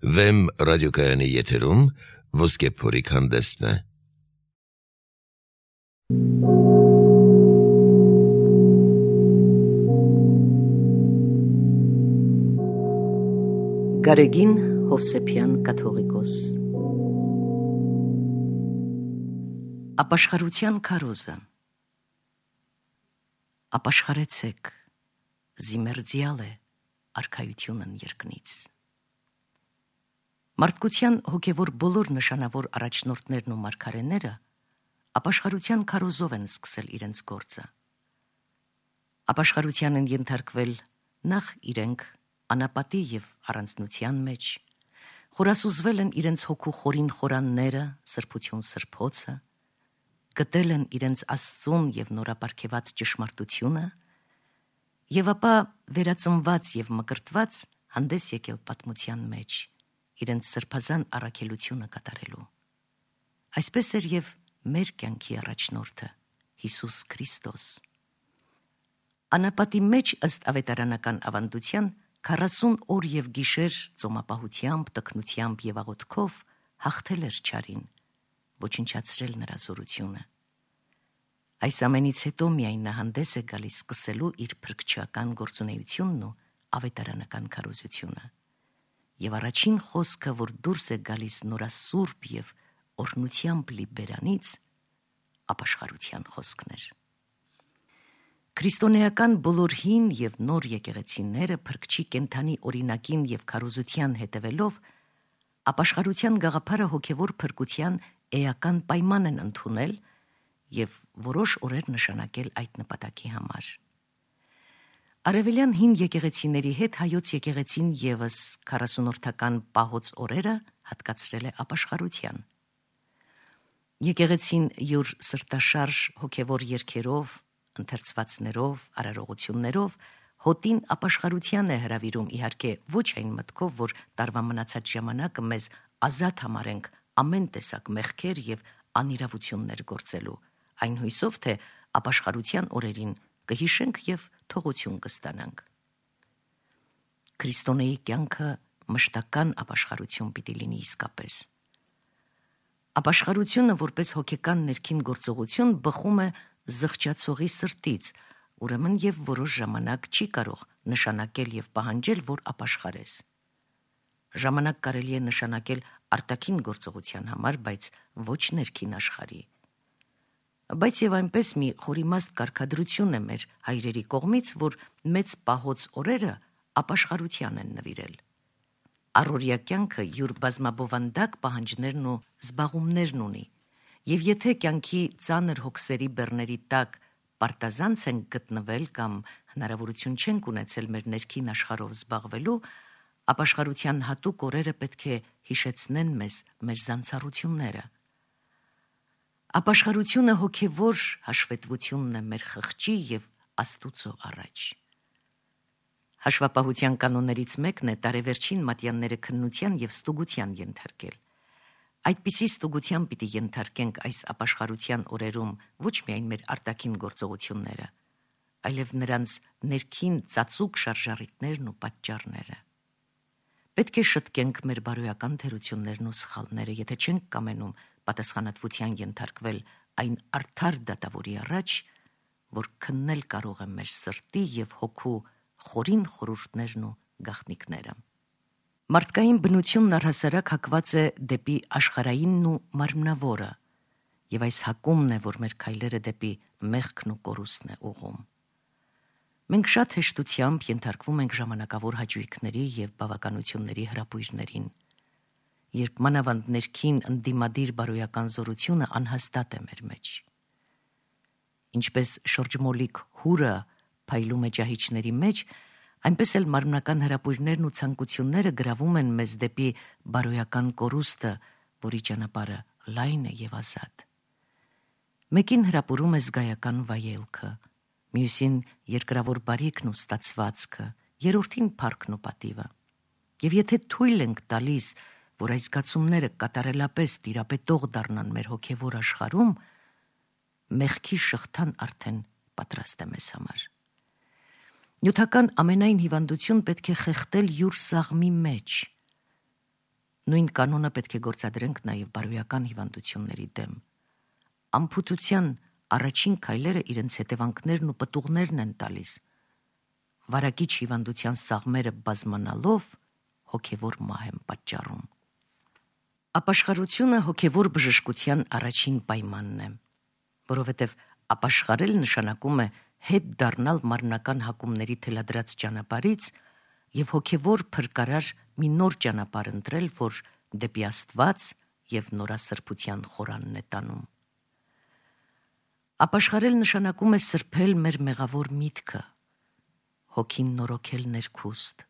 Վեմ ռադիոկայանի եթերում ոսկե փորիկ հանդեսն է։ Գարեգին Հովսեփյան կաթողիկոս։ Ապաշխարության քարոզը։ Ապաշխարեցեք, զիմերձյալ է արքայությունն երկնից։ Մարդկության հոգևոր բոլոր նշանավոր առաջնորդներն ու մարգարեները ապաշխարության քարոզով են սկսել իրենց գործը։ Ապաշխարության են ենթարկվել նախ իրենք անապատի և առանձնության մեջ, խորասուզվել են իրենց հոգու խորին խորանները, սրբություն սրբոցը, գտել են իրենց Աստծուն և նորապարգևած ճշմարտությունը, և ապա վերածնված և մկրտված հանդես եկել պատմության մեջ, իրենց սրբազան առաքելությունը կատարելու։ Այսպես էր և մեր կյանքի առաջնորդը, Հիսուս Քրիստոս։ Անապատի մեջ ըստ ավետարանական ավանդության 40 օր և գիշեր ծոմապահությամբ, տքնությամբ և աղոթքով հաղթել էր չարին, ոչնչացրել նրա զորությունը։ Այս ամենից հետո միայն նա հանդես է գալիս սկսելու իր փրկչական գործունեությունն ու ավետարանական քարոզությունը։ Եվ առաջին խոսքը, որ դուրս է գալիս նորասուրբ և օրհնությամբ լի բերանից, ապաշխարության խոսքն էր։ Քրիստոնեական բոլոր հին և նոր եկեղեցիները փրկչի կենդանի օրինակին և քարոզության հետևելով ապաշխարության գաղափարը հոգևոր փրկության էական պայման են ընդունել և որոշ օրեր նշանակել այդ նպատակի համար։ Արևելյան հին եկեղեցիների հետ հայոց եկեղեցին ևս 40-օրթական պահոց օրերը հատկացրել է ապաշխարության։ Եկեղեցին յուր սրտաշարժ հոգևոր երգերով, ընթերցվածներով, արարողություններով հոտին ապաշխարության է հրավիրում, իհարկե ոչ այն մտքով, որ տարվա մնացած ժամանակը մեզ ազատ համարենք ամեն տեսակ մեղքեր և անիրավություններ գործելու, այն հույսով, թե ապաշխարության օրերին կհիշենք և թողություն կստանանք։ Քրիստոնեի կյանքը մշտական ապաշխարություն պիտի լինի իսկապես։ Ապաշխարությունը որպես հոգեկան ներքին գործողություն բխում է զղջացողի սրտից, ուրեմն և որոշ ժամանակ չի կարող նշանակել և պահանջել, որ ապաշխարես։ Ժամանակ կարելի է նշանակել արտաքին գործողության համար, բայց ոչ ներքին աշխարհի։ Բայց և այնպես մի խորիմաստ կարգադրություն է մեր հայրերի կողմից, որ մեծ պահոց օրերը ապաշխարության են նվիրել։ Առօրյա կյանքը յուր բազմաբովանդակ պահանջներն ու զբաղումներն ունի, և եթե կյանքի ծանր հոգսերի բեռների տակ պարտազանց ենք գտնվել կամ հնարավորություն չենք ունեցել մեր ներքին աշխարհով զբաղվելու, ապաշխարության հատուկ օրերը պետք է հիշեցնեն մեզ մեր զանցառությունները։ Ապաշխարությունը հոգևոր հաշվետվությունն է մեր խղճի և Աստուծո առաջ։ Հաշվապահության կանոններից մեկն է տարեվերջին մատյանները քննության և ստուգության ենթարկել։ Այդպիսի ստուգության պիտի ենթարկենք այս ապաշխարության օրերում ոչ միայն մեր արտաքին գործողությունները, այլև նրանց ներքին ծածուկ շարժառիթներն ու պատճառները։ Պետք է շտկենք մեր բարոյական թերություններն ու սխալները, եթե չենք կամենում պատասխանատվության ենթարկվել այն արդար դատավորի առաջ, որ քննել կարող է մեր սրտի և հոգու խորին խորհուրդներն ու գաղտնիքները։ Մարդկային բնությունն առհասարակ հակված է դեպի աշխարհայինն ու մարմնավորը, և այս հակումն է, որ մեր քայլերը դեպի մեղքն ու կորուստն է ուղղում։ Մենք շատ հեշտությամբ ենթարկվում ենք ժամանակավոր հաճույքների և բավականությունների հրապույրներին, երբ մանավանդ ներքին ընդդիմադիր բարոյական զորությունը անհաստատ է մեր մեջ։ Ինչպես շրջմոլիկ հուրը փայլում է ջահիջների մեջ, այնպես էլ մարմնական հրապույրներն ու ցանկությունները գրավում են մեզ դեպի բարոյական կորուստը, որի ճանապարհը լայն է և ազատ։ Մեկին հրապուրում է զգայական վայելքը, մյուսին երկրավոր բարիքն ու ստացվածքը, երրորդին փառքն ու պատիվը։ Եվ եթե թույլ ենք տալիս, որ այս զգացումները կատարելապես տիրապետող դառնան մեր հոգևոր աշխարհում, մեղքի շղթան արդեն պատրաստ է մեզ համար։ Նյութական ամենայն հիվանդություն պետք է խեղդել յուր սաղմի մեջ, Նույն կանոնը պետք է գործադրենք նաև բարոյական հիվանդությունների դեմ։ Ամփոփության առաջին քայլերը իրենց հետևանքներն ու պտուղներն են տալիս։ Վարակիչ հիվանդության սաղմերը բազմանալով հոգևոր մահ են պատճառում։ Ապաշխարությունը հոգևոր բժշկության առաջին պայմանն է, որովհետև ապաշխարել նշանակում է հետ դառնալ մարմնական հակումների թելադրած ճանապարհից եւ հոգևոր փրկարար մի նոր ճանապարհ ընտրել, որ դեպի Աստված եւ նորասրբության խորանն է տանում։ Ապաշխարել նշանակում է սրբել մեր մեղավոր միտքը, հոգին նորոգել ներքուստ։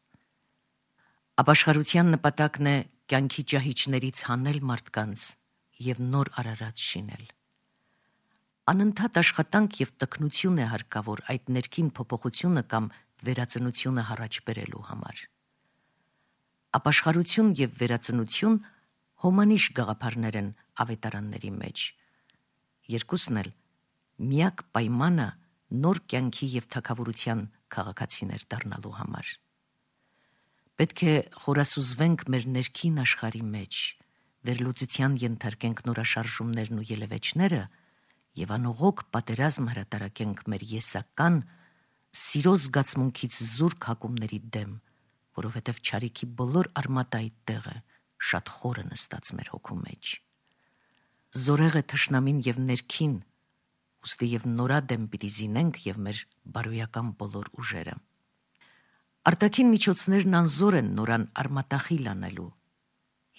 Ապաշխարության նպատակն է կյանքի ճահիճներից հանել մարդկանց եւ նոր արարած շինել։ Անընդհատ աշխատանք եւ տքնություն է հարկավոր այդ ներքին փոփոխությունը կամ վերածնությունը առաջ բերելու համար։ Ապաշխարություն եւ վերածնություն հոմանիշ գաղափարներ են ավետարանների մեջ։ Երկուսն էլ միակ պայմանը նոր կյանքի եւ թագավորության քաղաքացիներ դառնալու համար։ Պետք է խորասուզվենք մեր ներքին աշխարհի մեջ, վերլուծության ենթարկենք նորաշարժումներն ու ելևէջները եւ անողոք պատերազմ հրատարակենք մեր եսական սիրո զգացմունքից զուրկ հակումների դեմ, որովհետև չարիքի բոլոր արմատը այդտեղ է, շատ խորը նստած մեր հոգու մեջ։ Զորեղ է թշնամին եւ ներքին, ուստի եւ նորադեմ պիտի զինենք եւ մեր բարոյական բոլոր ուժերը։ Արտաքին միջոցներն անզոր են նորան արմատախիլ անելու։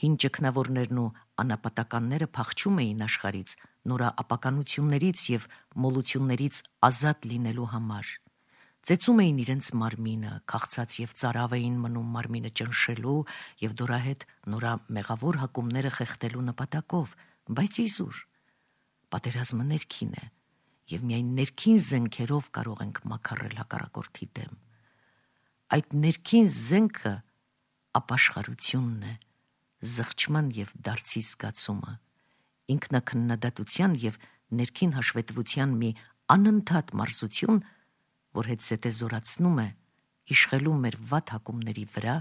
Հին ճգնավորներն ու անապատականները փախչում էին աշխարից նորա ապականություններից եւ մոլություններից ազատ լինելու համար։ Ծեծում էին իրենց մարմինը, քաղցած եւ ծարավ էին մնում մարմինը ճնշելու եւ դորահետ նորա մեղավոր հակումները խեղդելու նպատակով, բայց իզուր պատերազմը ներքին է եւ միայն ներքին զենքերով կարող ենք մաքարել հակառակորդի դեմ։ Այդ ներքին զենքը ապաշխարությունն է, զղջման եւ դարձի զգացումը, ինքնակննադատության եւ ներքին հաշվետվության մի անընդհատ մարզություն, որ հետզհետե զորացնում է, իշխելու մեր վատ հակումների վրա,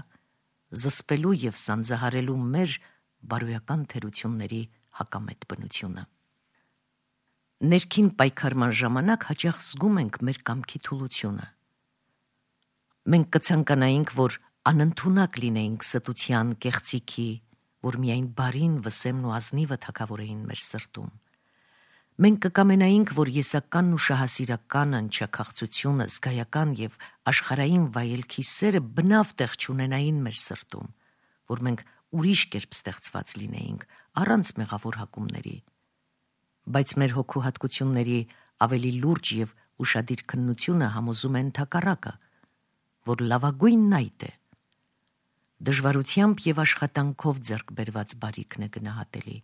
զսպելու եւ սանձահարելու մեր բարոյական թերությունների հակամետ բնությունը։ Ներքին պայքարման ժամանակ հաճախ զգում ենք մեր կամքի թուլությունը։ Մենք կցանկանայինք, որ անընդունակ լինեինք ստության, կեղծիքի, որ միայն բարին, վսեմն ու ազնիվը թագավորեին մեր սրտում։ Մենք կկամենայինք, որ եսականն ու շահասիրականը, ընչաքաղցությունը, զգայական եւ աշխարհային վայելքի սերը բնավ տեղ չունենային մեր սրտում, որ մենք ուրիշ կերպ ստեղծված լինեինք, առանց մեղավոր հակումների։ Բայց մեր հոգու հատկությունների ավելի լուրջ եւ ուշադիր քննությունը համոզում է ընդհակառակը, որ լավագույնն այդ է։ Դժվարությամբ եւ աշխատանքով ձեռք բերված բարիքն է գնահատելի։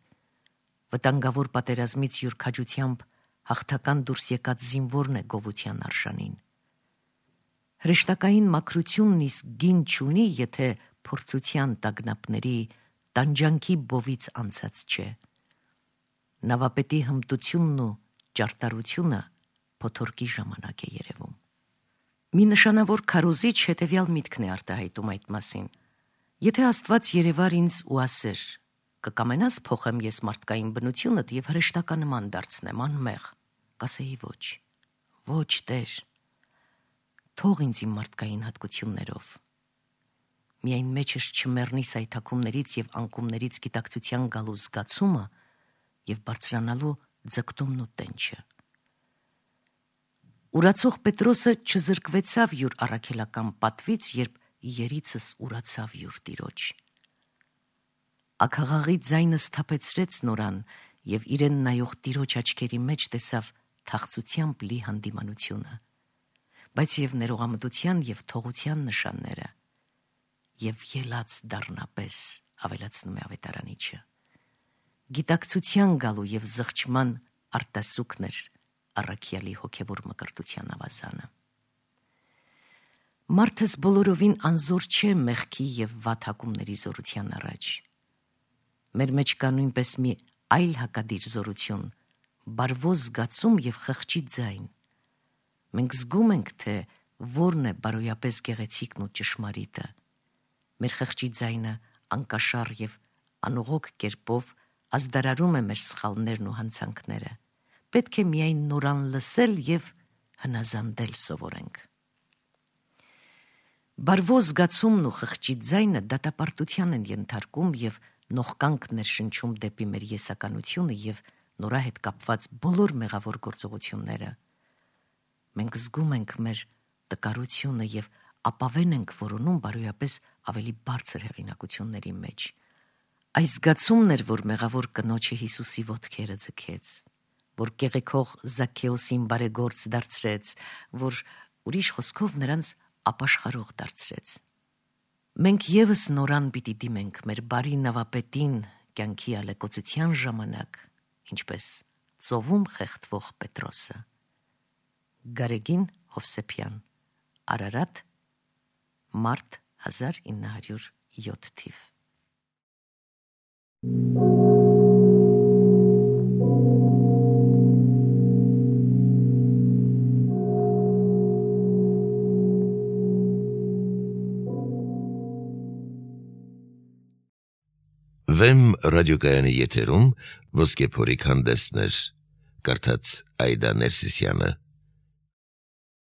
Վտանգավոր պատերազմից յուր քաջությամբ հաղթական դուրս եկած զինվորն է գովության արժանին։ Հրեշտակային մաքրությունն իսկ գին չունի, եթե փորձության տագնապների տանջանքի բովից անցած չէ։ Նավապետի հմտությունն ու ճարտարությունը փոթորկի ժամանակ է երևում։ Մի նշանավոր քարոզիչ հետևյալ միտքն է արտահայտում այդ մասին. Եթե Աստված երևար ինձ ու ասեր. կկամենաս փոխեմ ես մարդկային բնությունդ եւ հրեշտականման դարձնեմ անմեղ, կասեի ոչ, ոչ Տեր, թող ինձ իմ մարդկային հատկություններով։ Միայն մեջս չմեռնի սայթաքումներից եւ անկումներից գիտակցության գալու զգացումը եւ բարձրանալու ձգտումն ու տենչը։ Ուրացող Պետրոսը չզրկվեցավ յուր առաքելական պատվից, երբ երիցս ուրացավ յուր տիրոջ։ Աքաղաղի ձայնը սթափեցրեց նորան եւ իրեն նայող տիրոջ աչքերի մեջ տեսավ թախծությամբ լի հանդիմանությունը, բայց եւ ներողամտության եւ թողության նշանները, եւ ելած դառնապես, ավելացնում է ավետարանիչը, գիտակցության գալու եւ զղջման արտասուքն էր առաքյալի հոգևոր մկրտության ավազանը։ Մարդս բոլորովին անզոր չէ մեղքի եւ վատ հակումների զորության առաջ։ Մեր մեջ կա նույնպես մի այլ հակադիր զորություն, բարվոz զգացում եւ խղճի ձայն։ Մենք զգում ենք, թե որն է բարոյապես գեղեցիկն ու ճշմարիտը։ Մեր խղճի ձայնը անկաշառ եւ անողոք կերպով ազդարարում է մեր սխալներն ու հանցանքները։ Պետք է միայն նորան լսել եւ հնազանդել սովորենք։ Բարվո զգացումն ու խղճի ձայնը դատապարտության են ենթարկում եւ նողկանք ներշնչում դեպի մեր եսականությունը եւ նորա հետ կապված բոլոր մեղավոր գործողությունները։ Մենք զգում ենք մեր տկարությունը եւ ապավեն ենք որոնում բարոյապես ավելի բարձր հեղինակությունների մեջ։ Այս զգացումն էր, որ մեղավոր կնոջը Հիսուսի ոտքերը ձգեց, որ կեղեքող Զաքեոսին բարեգործ դարձրեց, որ ուրիշ խոսքով նրանց ապաշխարող դարձրեց։ Մենք եւս նորան պիտի դիմենք մեր բարի նավապետին կյանքի ալեկոծության ժամանակ, ինչպես ծովում խեղդվող Պետրոսը։ Գարեգին Հովսեփյան, Արարատ, մարտ 1907 թիվ։ Վեմ ռադիոկայանի եթերում ոսկե փորիկ հանդեսներ, կարդաց Այդա Ներսիսյանը։